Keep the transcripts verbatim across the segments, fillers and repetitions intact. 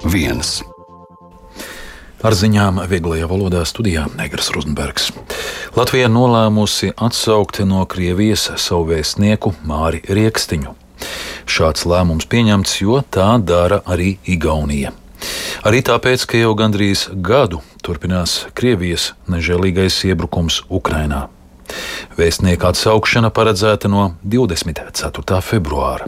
viens. Ar ziņām vieglajā valodā studijā Negras Rozenbergs. Latvija nolēmusi atsaukt no Krievijas savu vēstnieku Māri Riekstiņu. Šāds lēmums pieņemts, jo tā dara arī Igaunija. Arī tāpēc, ka jau gandrīz gadu turpinās Krievijas nežēlīgais iebrukums Ukrainā. Vēstnieka atsaukšana paredzēta no divdesmit ceturtā februāra.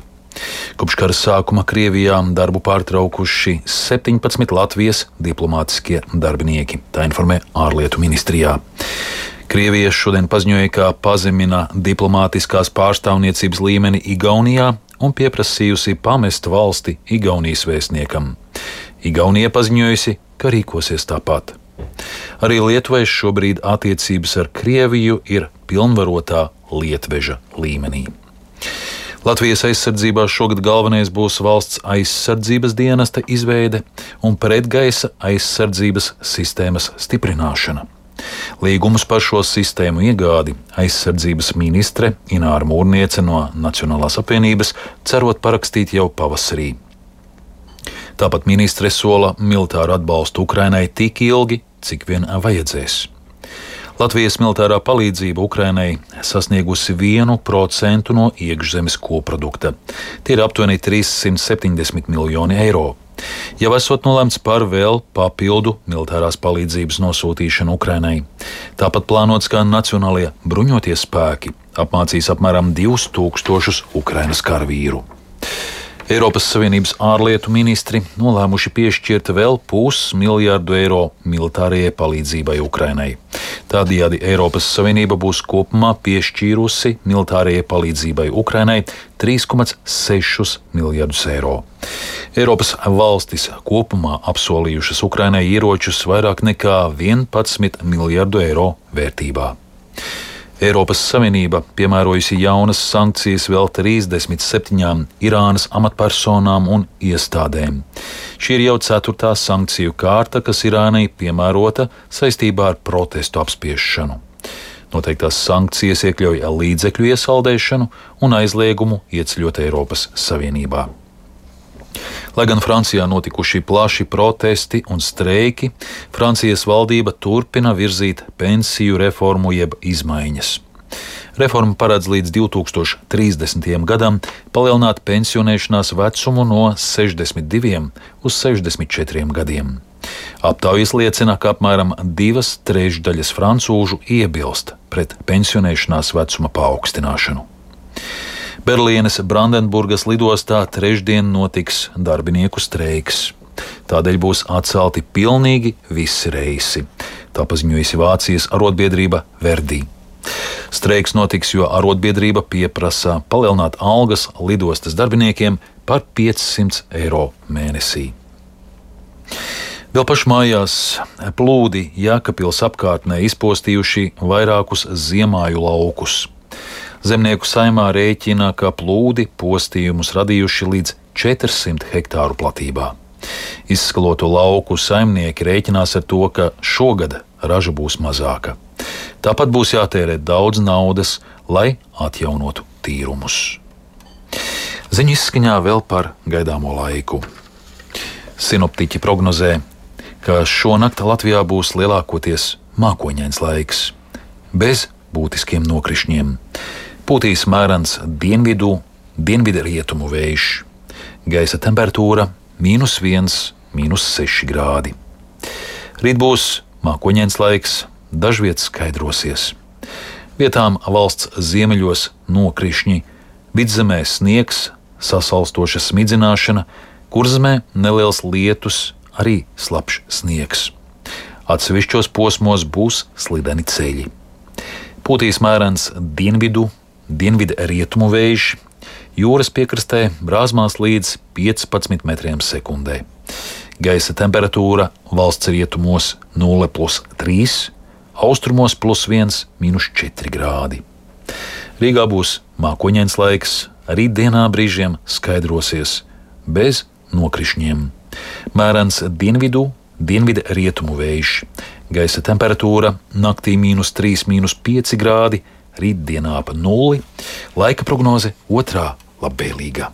Kopš kara sākuma Krievijā darbu pārtraukuši septiņpadsmit Latvijas diplomātiskie darbinieki, tā informē ārlietu ministrijā. Krievija šodien paziņoja, ka pazemina diplomātiskās pārstāvniecības līmeni Igaunijā un pieprasījusi pamest valsti Igaunijas vēstniekam. Igaunija paziņojusi, ka rīkosies tāpat. Arī Lietuvai šobrīd attiecības ar Krieviju ir pilnvarotā lietveža līmenī. Latvijas aizsardzībā šogad galvenais būs valsts aizsardzības dienesta izveide un pretgaisa aizsardzības sistēmas stiprināšana. Līgumus par šo sistēmu iegādi aizsardzības ministre Ināra Mūrniece no Nacionālās apvienības cerot parakstīt jau pavasarī. Tāpat ministre sola militāru atbalstu Ukrainai tik ilgi, cik vien vajadzēs. Latvijas militārā palīdzība Ukrainai sasniegusi vienu procentu no iekšzemes koprodukta. Tie ir aptuveni trīssimt septiņdesmit miljoni eiro. Jau esot nolēmts par vēl papildu militārās palīdzības nosūtīšanu Ukrainai. Tāpat plānots, ka Nacionālie bruņotie spēki apmācīs apmēram divus tūkstošus Ukrainas karavīru. Eiropas Savienības ārlietu ministri nolēmuši piešķirt vēl pusmiljardu eiro militārajai palīdzībai Ukrainai. Tādējādi Eiropas Savienība būs kopumā piešķīrusi militārajai palīdzībai Ukrainai trīs komats sešus miljardus eiro. Eiropas valstis kopumā apsolījušas Ukrainai ieročus vairāk nekā vienpadsmit miljardu eiro vērtībā. Eiropas Savienība piemērojusi jaunas sankcijas vēl trīsdesmit septiņām Irānas amatpersonām un iestādēm. Šī ir jau ceturtā sankciju kārta, kas Irānai piemērota saistībā ar protestu apspiešanu. Noteiktās sankcijas iekļauj līdzekļu iesaldēšanu un aizliegumu ieceļot Eiropas Savienībā. Lai gan Francijā notikuši plaši protesti un streiki, Francijas valdība turpina virzīt pensiju reformu jeb izmaiņas. Reforma paredz līdz divi tūkstoši trīsdesmitajam gadam palielināt pensionēšanās vecumu no sešdesmit diviem uz sešdesmit četriem gadiem. Aptaujas liecina, ka apmēram divas trešdaļas francūžu iebilst pret pensionēšanās vecuma paaugstināšanu. Berlīnes Brandenburgas lidostā trešdien notiks darbinieku streiks. Tādēļ būs atcelti pilnīgi visi reisi. Tā paziņojusi Vācijas arotbiedrība Verdi. Streiks notiks, jo arotbiedrība pieprasa palielināt algas lidostas darbiniekiem par piecsimt eiro mēnesī. Vēl pašmājās plūdi Jēkabpils apkārtnē izpostījuši vairākus ziemāju laukus. Zemnieku saimā rēķina, ka plūdi postījumus radījuši līdz četrsimt hektāru platībā. Izskaloto lauku saimnieki rēķinās ar to, ka šogad raža būs mazāka. Tāpat būs jātērē daudz naudas, lai atjaunotu tīrumus. Ziņu izskaņā vēl par gaidāmo laiku. Sinoptiķi prognozē, ka šonakt Latvijā būs lielākoties mākoņains laiks, bez būtiskiem nokrišņiem. Pūtīs mērens dienvidu, dienvidu rietumu vējš. Gaisa temperatūra mīnus viens, mīnus seši grādi. Rīt būs mākoņains laiks, dažviet skaidrosies. Vietām valsts ziemeļos nokrišņi, vidzemē sniegs, sasalstoša smidzināšana, kurzemē neliels lietus, arī slapjš sniegs. Atsevišķos posmos būs slideni ceļi. Pūtīs mērens dienvidu, dienvidu rietumu vējš, jūras piekrastē brāzmās līdz piecpadsmit metriem sekundē. Gaisa temperatūra valsts rietumos nulle plus trīs, austrumos plus viens, mīnus četri grādi. Rīgā būs mākoņains laiks, arī dienā brīžiem skaidrosies, bez nokrišņiem. Mērens dienvidu, dienvidu rietumu vējš. Gaisa temperatūra naktī mīnus trīs, mīnus pieci grādi, rītdienā ap nulli. Laika prognoze otrā labvēlīga.